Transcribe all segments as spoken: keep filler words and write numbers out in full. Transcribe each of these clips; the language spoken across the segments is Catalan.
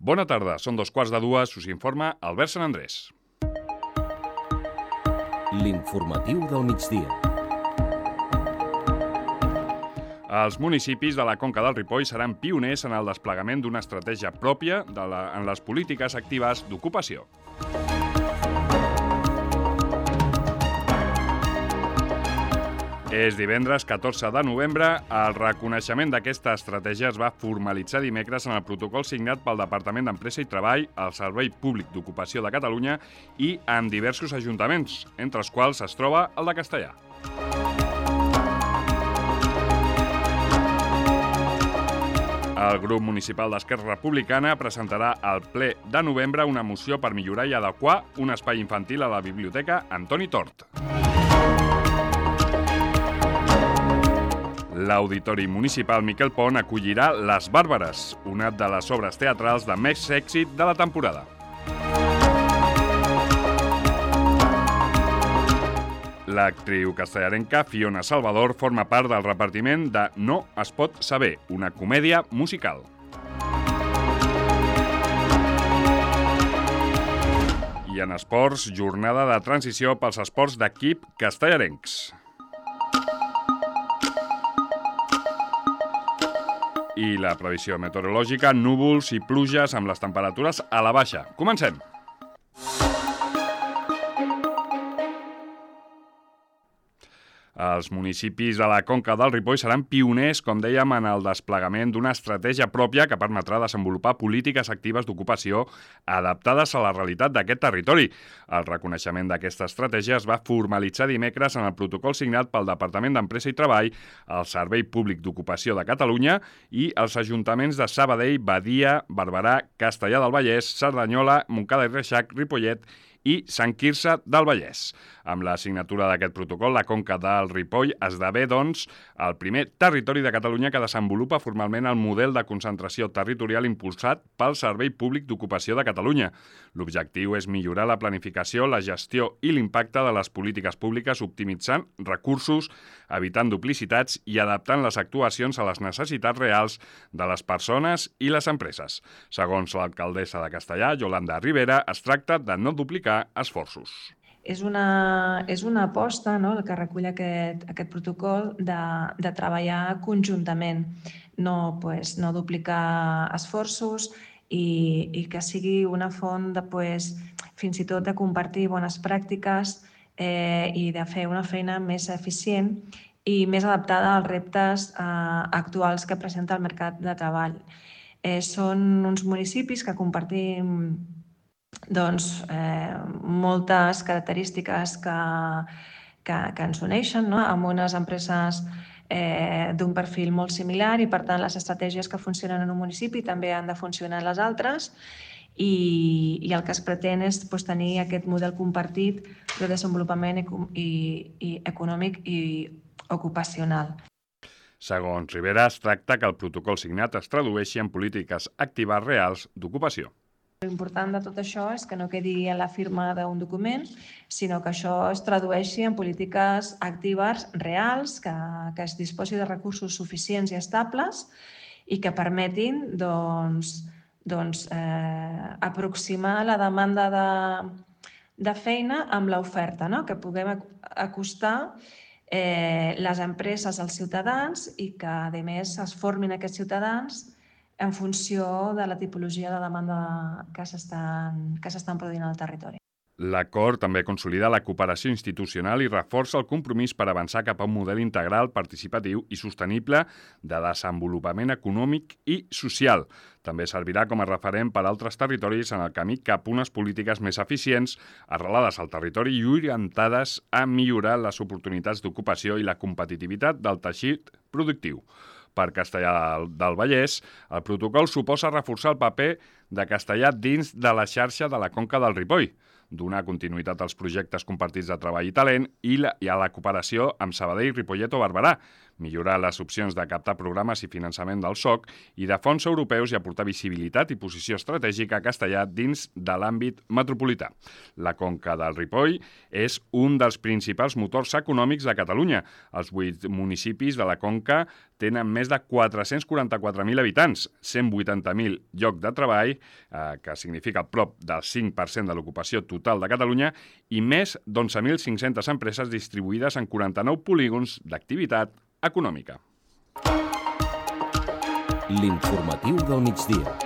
Bona tarda, són dos quarts de dues, us informa Albert Sant Andrés. L'informatiu del migdia. Els municipis de la Conca del Ripoll seran pioners en el desplegament d'una estratègia pròpia de la, en les polítiques actives d'ocupació. És divendres catorze de novembre. El reconeixement d'aquesta estratègia es va formalitzar dimecres en el protocol signat pel Departament d'Empresa i Treball, el Servei Públic d'Ocupació de Catalunya i amb diversos ajuntaments, entre els quals es troba el de Castellar. El grup municipal d'Esquerra Republicana presentarà al ple de novembre una moció per millorar i adequar un espai infantil a la Biblioteca Antoni Tort. L'Auditori Municipal Miquel Pont acollirà Les Bàrbares, una de les obres teatrals de més èxit de la temporada. L'actriu castellarenca Fiona Salvador forma part del repartiment de No es pot saber, una comèdia musical. I en esports, jornada de transició pels esports d'equip castellarencs. I la previsió meteorològica, núvols i pluges amb les temperatures a la baixa. Comencem! Els municipis de la Conca del Ripoll seran pioners, com dèiem, en el desplegament d'una estratègia pròpia que permetrà desenvolupar polítiques actives d'ocupació adaptades a la realitat d'aquest territori. El reconeixement d'aquesta estratègia es va formalitzar dimecres en el protocol signat pel Departament d'Empresa i Treball, el Servei Públic d'Ocupació de Catalunya i els ajuntaments de Sabadell, Badia, Barberà, Castellar del Vallès, Cerdanyola, Montcada i Reixac, Ripollet i Sant Quirze del Vallès. Amb la signatura d'aquest protocol, la Conca del Ripoll esdevé, doncs, el primer territori de Catalunya que desenvolupa formalment el model de concentració territorial impulsat pel Servei Públic d'Ocupació de Catalunya. L'objectiu és millorar la planificació, la gestió i l'impacte de les polítiques públiques optimitzant recursos, evitant duplicitats i adaptant les actuacions a les necessitats reals de les persones i les empreses. Segons l'alcaldessa de Castellar, Yolanda Rivera, es tracta de no duplicar esforços. És una, és una aposta, no?, el que recull aquest, aquest protocol de, de treballar conjuntament, no, pues, no duplicar esforços i, i que sigui una font de, pues, fins i tot de compartir bones pràctiques eh, i de fer una feina més eficient i més adaptada als reptes eh, actuals que presenta el mercat de treball. Eh, són uns municipis que compartim doncs, eh, moltes característiques que, que, que ens uneixen, no?, amb unes empreses eh, d'un perfil molt similar i, per tant, les estratègies que funcionen en un municipi també han de funcionar en les altres i, i el que es pretén és pues, tenir aquest model compartit de desenvolupament i, i econòmic i ocupacional. Segons Rivera, es tracta que el protocol signat es tradueixi en polítiques actives reals d'ocupació. L'important de tot això és que no quedi en la firma d'un document, sinó que això es tradueixi en polítiques actives reals, que, que es disposi de recursos suficients i estables i que permetin doncs, doncs, eh, aproximar la demanda de, de feina amb l'oferta, no?, que puguem acostar eh, les empreses als ciutadans i que, a més, es formin aquests ciutadans en funció de la tipologia de demanda que s'estan que s'estan produint al territori. L'acord també consolida la cooperació institucional i reforça el compromís per avançar cap a un model integral, participatiu i sostenible de desenvolupament econòmic i social. També servirà com a referent per a altres territoris en el camí cap a unes polítiques més eficients, arrelades al territori i orientades a millorar les oportunitats d'ocupació i la competitivitat del teixit productiu. Per Castellar del Vallès, el protocol suposa reforçar el paper de Castellar dins de la xarxa de la Conca del Ripoll, donar continuïtat als projectes compartits de treball i talent i, la, i a la cooperació amb Sabadell, Ripollet o Barberà, millorar les opcions de captar programes i finançament del S O C i de fons europeus i aportar visibilitat i posició estratègica a Castellar dins de l'àmbit metropolità. La Conca del Ripoll és un dels principals motors econòmics de Catalunya. Els vuit municipis de la Conca tenen més de quatre-cents quaranta-quatre mil habitants, cent vuitanta mil llocs de treball, eh, que significa prop del cinc per cent de l'ocupació total de Catalunya, i més d'onze mil cinc-centes empreses distribuïdes en quaranta-nou polígons d'activitat econòmica. L'informatiu del migdia.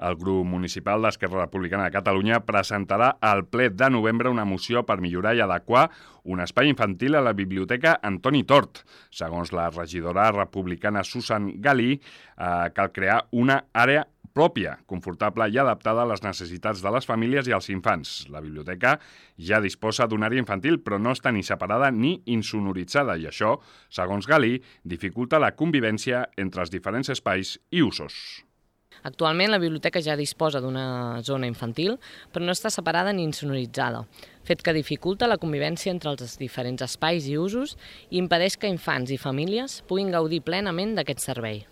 El grup municipal d'Esquerra Republicana de Catalunya presentarà al ple de novembre una moció per millorar i adequar un espai infantil a la Biblioteca Antoni Tort. Segons la regidora republicana Susan Galí, eh, cal crear una àrea pròpia, confortable i adaptada a les necessitats de les famílies i els infants. La biblioteca ja disposa d'una àrea infantil, però no està ni separada ni insonoritzada, i això, segons Galí, dificulta la convivència entre els diferents espais i usos. Actualment la biblioteca ja disposa d'una zona infantil, però no està separada ni insonoritzada, fet que dificulta la convivència entre els diferents espais i usos i impedeix que infants i famílies puguin gaudir plenament d'aquest servei.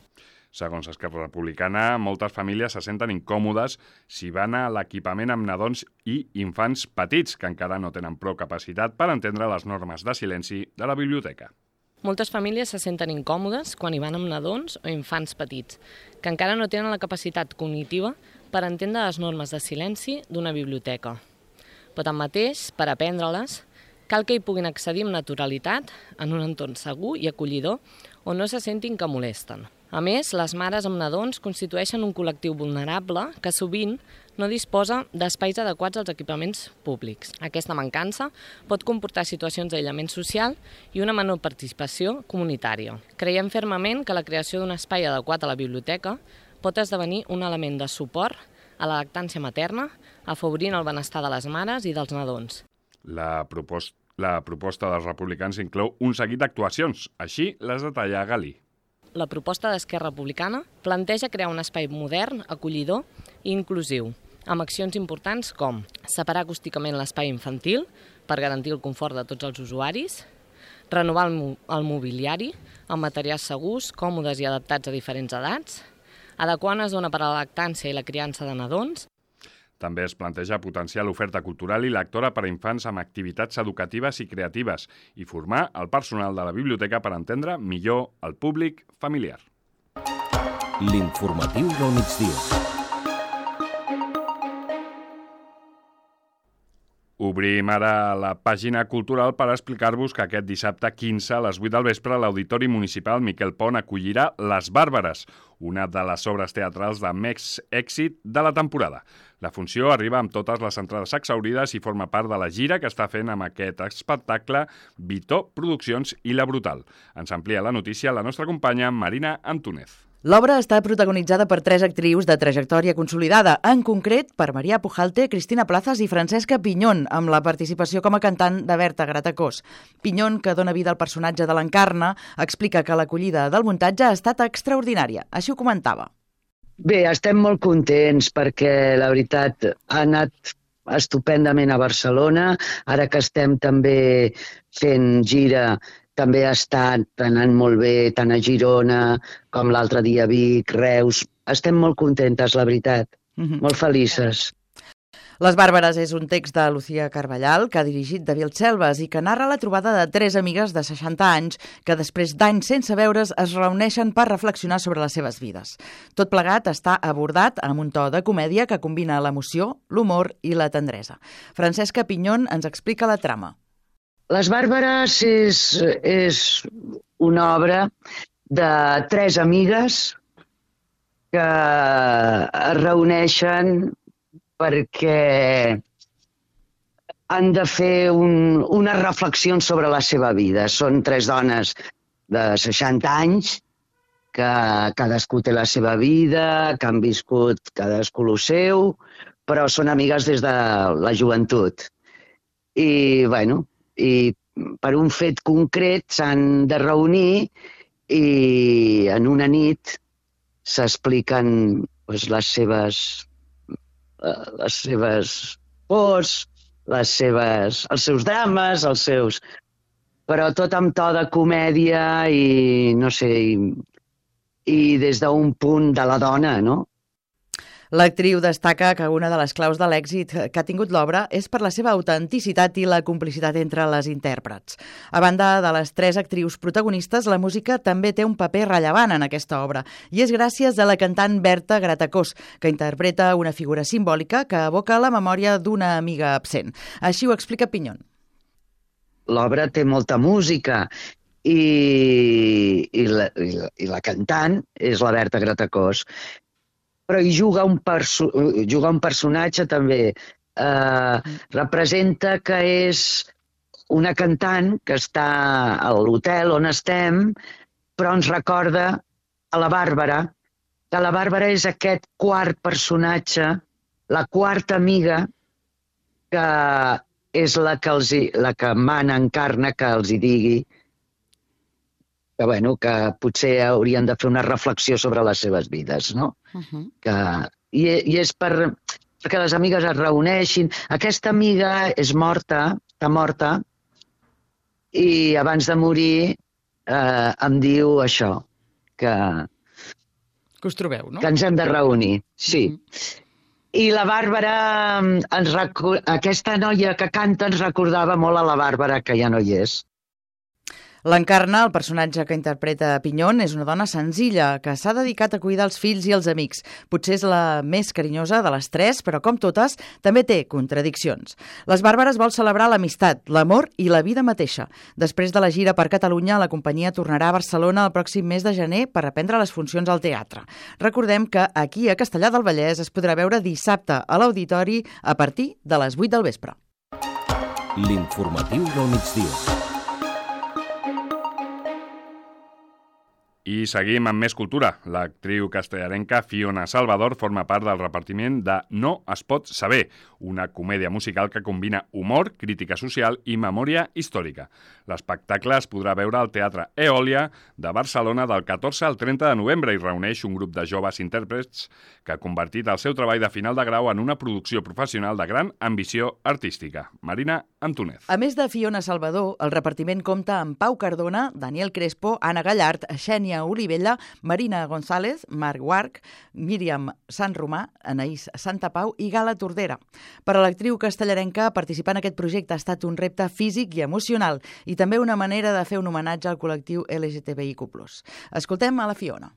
Segons Esquerra Republicana, moltes famílies se senten incòmodes si van a l'equipament amb nadons i infants petits, que encara no tenen prou capacitat per entendre les normes de silenci de la biblioteca. Moltes famílies se senten incòmodes quan hi van amb nadons o infants petits, que encara no tenen la capacitat cognitiva per entendre les normes de silenci d'una biblioteca. Però tanmateix, per aprendre-les, cal que hi puguin accedir amb naturalitat en un entorn segur i acollidor on no se sentin que molesten. A més, les mares amb nadons constitueixen un col·lectiu vulnerable que sovint no disposa d'espais adequats als equipaments públics. Aquesta mancança pot comportar situacions d'aïllament social i una menor participació comunitària. Creiem fermament que la creació d'un espai adequat a la biblioteca pot esdevenir un element de suport a la lactància materna, afavorint el benestar de les mares i dels nadons. La proposta, la proposta dels republicans inclou un seguit d'actuacions, així les detalla Galí. La proposta d'Esquerra Republicana planteja crear un espai modern, acollidor i inclusiu, amb accions importants com separar acústicament l'espai infantil per garantir el confort de tots els usuaris, renovar el, mo el mobiliari amb materials segurs, còmodes i adaptats a diferents edats, adequar una zona per a la lactància i la criança de nadons. També es planteja potenciar l'oferta cultural i lectora per a infants amb activitats educatives i creatives i formar el personal de la biblioteca per entendre millor el públic familiar. L'informatiu del migdia. Obrim ara la pàgina cultural per explicar-vos que aquest dissabte quinze a les vuit del vespre l'Auditori Municipal Miquel Pont acollirà Les Bàrbares, una de les obres teatrals de més èxit de la temporada. La funció arriba amb totes les entrades exhaurides i forma part de la gira que està fent amb aquest espectacle Vitó Produccions i La Brutal. Ens amplia la notícia la nostra companya Marina Antúnez. L'obra està protagonitzada per tres actrius de trajectòria consolidada, en concret per Maria Pujalte, Cristina Plazas i Francesca Pinyón, amb la participació com a cantant de Berta Gratacós. Pinyón, que dona vida al personatge de l'Encarna, explica que l'acollida del muntatge ha estat extraordinària. Així ho comentava. Bé, estem molt contents perquè, la veritat, ha anat estupendament a Barcelona. Ara que estem també fent gira, també ha estat anant molt bé, tant a Girona com l'altre dia a Vic, Reus. Estem molt contentes, la veritat. Mm-hmm. Molt felices. Les Bàrbares és un text de Lucía Carballal que ha dirigit David Selves i que narra la trobada de tres amigues de seixanta anys que després d'anys sense veure's es reuneixen per reflexionar sobre les seves vides. Tot plegat està abordat amb un to de comèdia que combina l'emoció, l'humor i la tendresa. Francesca Pinyón ens explica la trama. Les Bàrbares és, és una obra de tres amigues que es reuneixen perquè han de fer un, unes reflexions sobre la seva vida. Són tres dones de seixanta anys que cadascú té la seva vida, que han viscut cadascú el seu, però són amigues des de la joventut. I, bueno, i per un fet concret s'han de reunir i en una nit s'expliquen doncs, les seves les seves pors, les seves, els seus drames, els seus... però tot amb to de comèdia i, no sé, i, i des d'un punt de la dona, no? L'actriu destaca que una de les claus de l'èxit que ha tingut l'obra és per la seva autenticitat i la complicitat entre les intèrprets. A banda de les tres actrius protagonistes, la música també té un paper rellevant en aquesta obra, i és gràcies a la cantant Berta Gratacós, que interpreta una figura simbòlica que evoca la memòria d'una amiga absent. Així ho explica Pinyón. L'obra té molta música i, i, la, i, la, i la cantant és la Berta Gratacós. Però hi juga un, perso juga un personatge també. Eh, representa que és una cantant que està a l'hotel on estem, però ens recorda a la Bàrbara, que la Bàrbara és aquest quart personatge, la quarta amiga, que és la que, els hi, la que mana, encarna, que els hi digui que, bueno, que potser haurien de fer una reflexió sobre les seves vides, no? Uh-huh. que, i, I és per, perquè les amigues es reuneixin. Aquesta amiga és morta, està morta, i abans de morir eh, em diu això, que... Que us trobeu, no? Que ens hem de reunir, sí. Uh-huh. I la Bàrbara, ens recu... aquesta noia que canta ens recordava molt a la Bàrbara, que ja no hi és. L'encarna, el personatge que interpreta Pinyón, és una dona senzilla que s'ha dedicat a cuidar els fills i els amics. Potser és la més carinyosa de les tres, però com totes, també té contradiccions. Les Bàrbares vol celebrar l'amistat, l'amor i la vida mateixa. Després de la gira per Catalunya, la companyia tornarà a Barcelona el pròxim mes de gener per reprendre les funcions al teatre. Recordem que aquí a Castellar del Vallès es podrà veure dissabte a l'Auditori a partir de les vuit del vespre. L'informatiu del migdia. I seguim amb més cultura. L'actriu castellarenca Fiona Salvador forma part del repartiment de No es pot saber, una comèdia musical que combina humor, crítica social i memòria històrica. L'espectacle es podrà veure al Teatre Eòlia de Barcelona del catorze al trenta de novembre i reuneix un grup de joves intèrprets que ha convertit el seu treball de final de grau en una producció professional de gran ambició artística. Marina Antúnez. A més de Fiona Salvador, el repartiment compta amb Pau Cardona, Daniel Crespo, Anna Gallart, Xènia Olivella, Marina González, Marc Guarch, Míriam Sant Romà, Anaïs Santapau i Gala Tordera. Per a l'actriu castellarenca, participar en aquest projecte ha estat un repte físic i emocional i també una manera de fer un homenatge al col·lectiu L G T B I Q plus. Escoltem a la Fiona.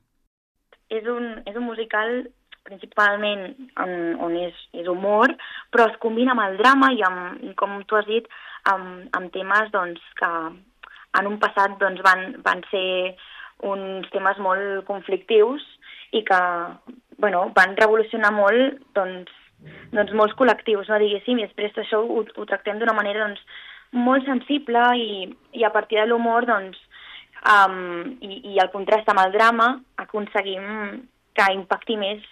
És un, és un musical principalment on, on és, és humor, però es combina amb el drama i, amb, i com tu has dit, amb, amb temes doncs, que en un passat doncs, van, van ser uns temes molt conflictius i que bueno, van revolucionar molt doncs, doncs molts col·lectius, no diguéssim, i després això ho, ho tractem d'una manera doncs, molt sensible i, i a partir de l'humor doncs, um, i, i el contrast amb el drama aconseguim que impacti més.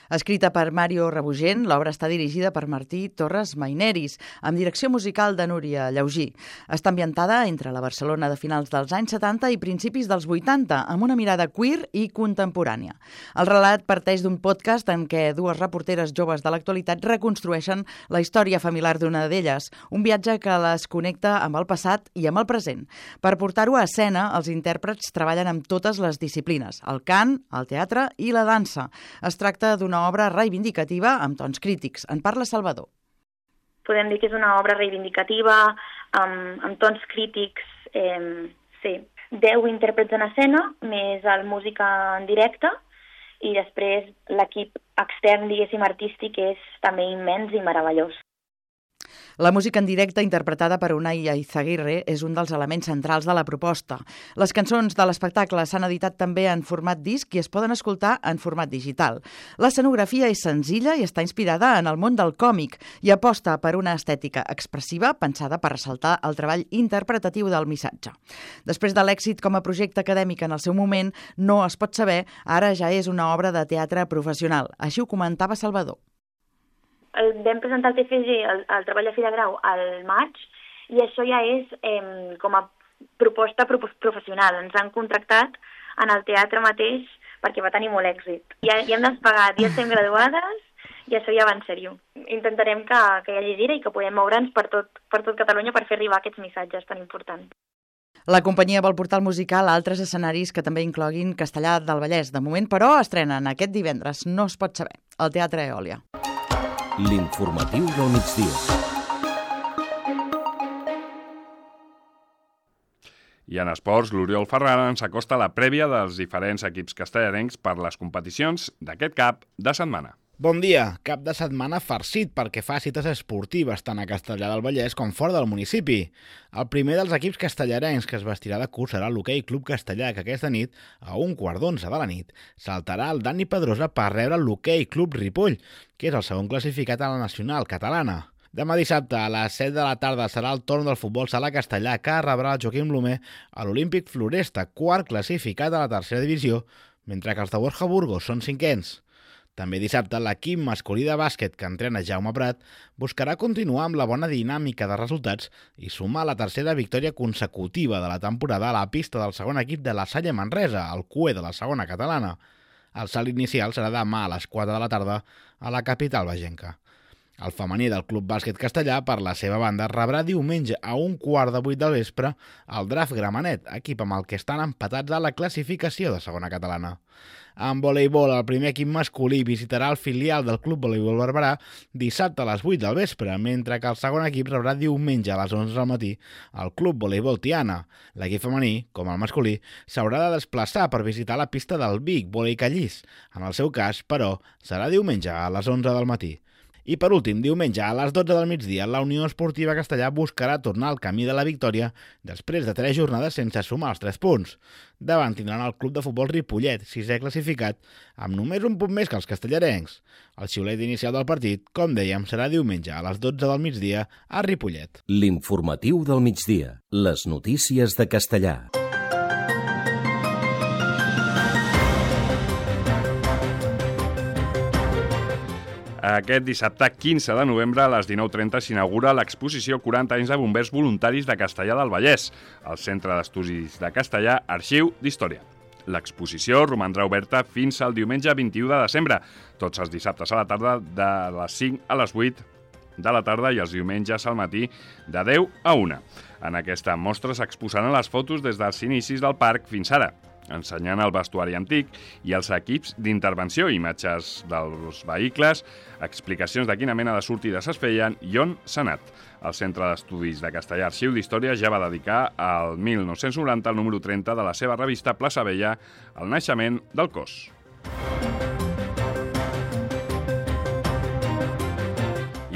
Escrita per Mario Rebugent, l'obra està dirigida per Martí Torres Maineris, amb direcció musical de Núria Llaugí. Està ambientada entre la Barcelona de finals dels anys setanta i principis dels vuitanta, amb una mirada queer i contemporània. El relat parteix d'un podcast en què dues reporteres joves de l'actualitat reconstrueixen la història familiar d'una d'elles, un viatge que les connecta amb el passat i amb el present. Per portar-ho a escena, els intèrprets treballen amb totes les disciplines, el cant, el teatre i la dansa. Es tracta d'una obra reivindicativa amb tons crítics. En parla Salvador. Podem dir que és una obra reivindicativa, amb, amb tons crítics, eh, sí. Deu intèrprets en escena, més el música en directe, i després l'equip extern, diguéssim, artístic, és també immens i meravellós. La música en directe interpretada per Unai Eizaguirre és un dels elements centrals de la proposta. Les cançons de l'espectacle s'han editat també en format disc i es poden escoltar en format digital. L'escenografia és senzilla i està inspirada en el món del còmic i aposta per una estètica expressiva pensada per ressaltar el treball interpretatiu del missatge. Després de l'èxit com a projecte acadèmic en el seu moment, No es pot saber, ara ja és una obra de teatre professional. Així ho comentava Salvador. El, vam presentar el T F G, el, el treball de fi de grau, al maig, i això ja és eh, com a proposta pro professional. Ens han contractat en el teatre mateix perquè va tenir molt èxit. Ja, ja hem despegat, ja estem graduades i això ja va en sèrio. Intentarem que, que hi hagi gira i que podem moure'ns per tot, per tot Catalunya per fer arribar aquests missatges tan importants. La companyia vol portar el musical a altres escenaris que també incloguin Castellar del Vallès. De moment, però, estrenen aquest divendres, no es pot saber, al Teatre Eòlia. L'informatiu del migdia. I en esports, l'Oriol Ferran ens acosta la prèvia dels diferents equips castellarencs per les competicions d'aquest cap de setmana. Bon dia, cap de setmana farcit perquè fa cites esportives tant a Castellar del Vallès com fora del municipi. El primer dels equips castellarencs que es vestirà de curs serà l'Hoquei Club Castellà, que aquesta nit, a un quart d'onze de la nit, saltarà el Dani Pedrosa per rebre l'Hoquei Club Ripoll, que és el segon classificat a la nacional catalana. Demà dissabte, a les set de la tarda, serà el torn del futbol sala castellà, que rebrà el Joaquim Blomer a l'Olímpic Floresta, quart classificat a la tercera divisió, mentre que els de Borja Burgos són cinquens. També dissabte, l'equip masculí de bàsquet que entrena Jaume Prat buscarà continuar amb la bona dinàmica de resultats i sumar la tercera victòria consecutiva de la temporada a la pista del segon equip de la Salle Manresa, el C U E de la segona catalana. El salt inicial serà demà a les quatre de la tarda a la capital bagenca. El femení del Club Bàsquet Castellà, per la seva banda, rebrà diumenge a un quart de vuit del vespre el Draft Gramenet, equip amb el que estan empatats a la classificació de segona catalana. En voleibol, el primer equip masculí visitarà el filial del Club Voleibol Barberà dissabte a les vuit del vespre, mentre que el segon equip rebrà diumenge a les onze del matí el Club Voleibol Tiana. L'equip femení, com el masculí, s'haurà de desplaçar per visitar la pista del Vic Volei Callís. En el seu cas, però, serà diumenge a les onze del matí. I per últim, diumenge a les dotze del migdia, la Unió Esportiva Castellà buscarà tornar al camí de la victòria després de tres jornades sense sumar els tres punts. Davant tindran el club de futbol Ripollet, sisè classificat, amb només un punt més que els castellarencs. El xiulet inicial del partit, com dèiem, serà diumenge a les dotze del migdia a Ripollet. L'informatiu del migdia. Les notícies de Castellar. Aquest dissabte quinze de novembre a les dinou trenta s'inaugura l'exposició quaranta anys de bombers voluntaris de Castellar del Vallès, al Centre d'Estudis de Castellar, Arxiu d'Història. L'exposició romandrà oberta fins al diumenge vint-i-u de desembre, tots els dissabtes a la tarda de les cinc a les vuit de la tarda i els diumenges al matí de deu a una. En aquesta mostra s'exposaran les fotos des dels inicis del parc fins ara, ensenyant el vestuari antic i els equips d'intervenció, imatges dels vehicles, explicacions de quina mena de sortides es feien i on s'ha anat. El Centre d'Estudis de Castellar Arxiu d'Història ja va dedicar al mil nou-cents noranta el número trenta de la seva revista Plaça Vella al naixement del cos.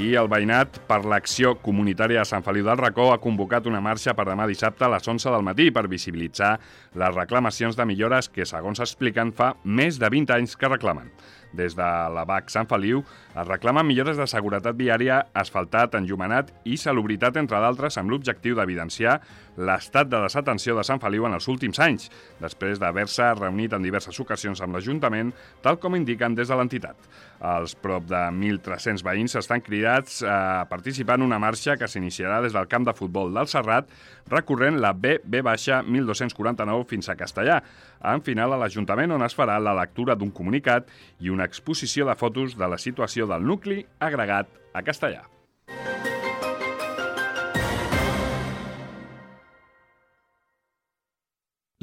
I el veïnat per l'acció comunitària de Sant Feliu del Racó ha convocat una marxa per demà dissabte a les onze del matí per visibilitzar les reclamacions de millores que, segons expliquen, fa més de vint anys que reclamen. Des de la B A C Sant Feliu es reclamen millores de seguretat viària, asfaltat, enllumenat i salubritat, entre d'altres, amb l'objectiu d'evidenciar l'estat de desatenció de Sant Feliu en els últims anys, després d'haver-se reunit en diverses ocasions amb l'Ajuntament, tal com indiquen des de l'entitat. Els prop de mil tres-cents veïns estan cridats a participar en una marxa que s'iniciarà des del camp de futbol del Serrat, recorrent la B B mil dos-cents quaranta-nou fins a Castellar, en final a l'Ajuntament, on es farà la lectura d'un comunicat i una exposició de fotos de la situació del nucli agregat a Castellar.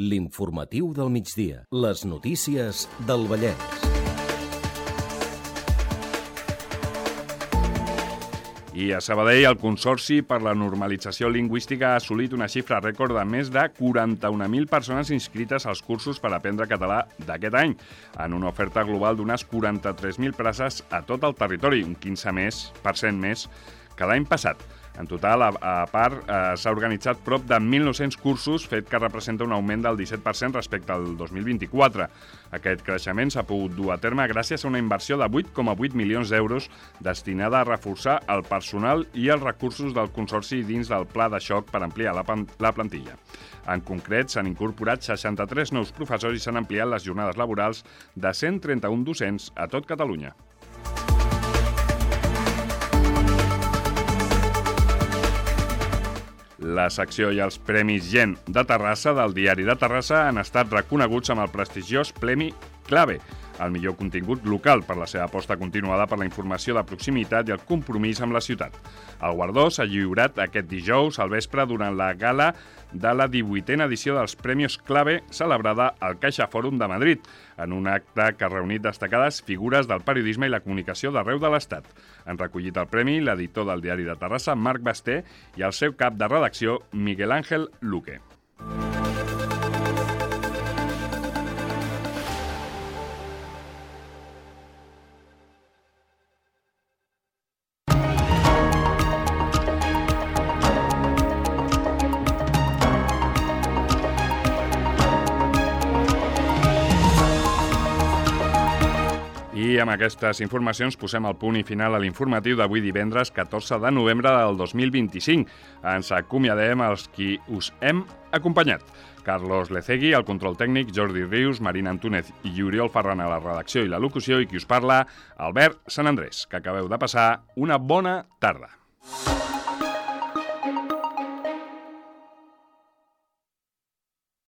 L'informatiu del migdia. Les notícies del Vallès. I a Sabadell, el Consorci per la Normalització Lingüística ha assolit una xifra rècord de més de quaranta-un mil persones inscrites als cursos per aprendre català d'aquest any, en una oferta global d'unes quaranta-tres mil places a tot el territori, un quinze per cent més que l'any passat. En total, a, a part, eh, s'ha organitzat prop de mil nou-cents cursos, fet que representa un augment del disset per cent respecte al dos mil vint-i-quatre. Aquest creixement s'ha pogut dur a terme gràcies a una inversió de vuit coma vuit milions d'euros destinada a reforçar el personal i els recursos del Consorci dins del pla de xoc per ampliar la, la plantilla. En concret, s'han incorporat seixanta-tres nous professors i s'han ampliat les jornades laborals de cent trenta-un docents a tot Catalunya. La secció i els Premis Gent de Terrassa del Diari de Terrassa han estat reconeguts amb el prestigiós Premi Clave. el millor contingut local per la seva aposta continuada per la informació de proximitat i el compromís amb la ciutat. El guardó s'ha lliurat aquest dijous al vespre durant la gala de la divuitena edició dels Premios Clave celebrada al Caixa Fòrum de Madrid, en un acte que ha reunit destacades figures del periodisme i la comunicació d'arreu de l'Estat. Han recollit el premi l'editor del Diari de Terrassa, Marc Basté, i el seu cap de redacció, Miguel Ángel Luque. I amb aquestes informacions posem el punt i final a l'informatiu d'avui divendres catorze de novembre del dos mil vint-i-cinc. Ens acomiadem els qui us hem acompanyat. Carlos Lecegui, al control tècnic, Jordi Rius, Marina Antúnez i Oriol Ferran a la redacció i la locució, i qui us parla, Albert Sant Andrés. Que acabeu de passar una bona tarda.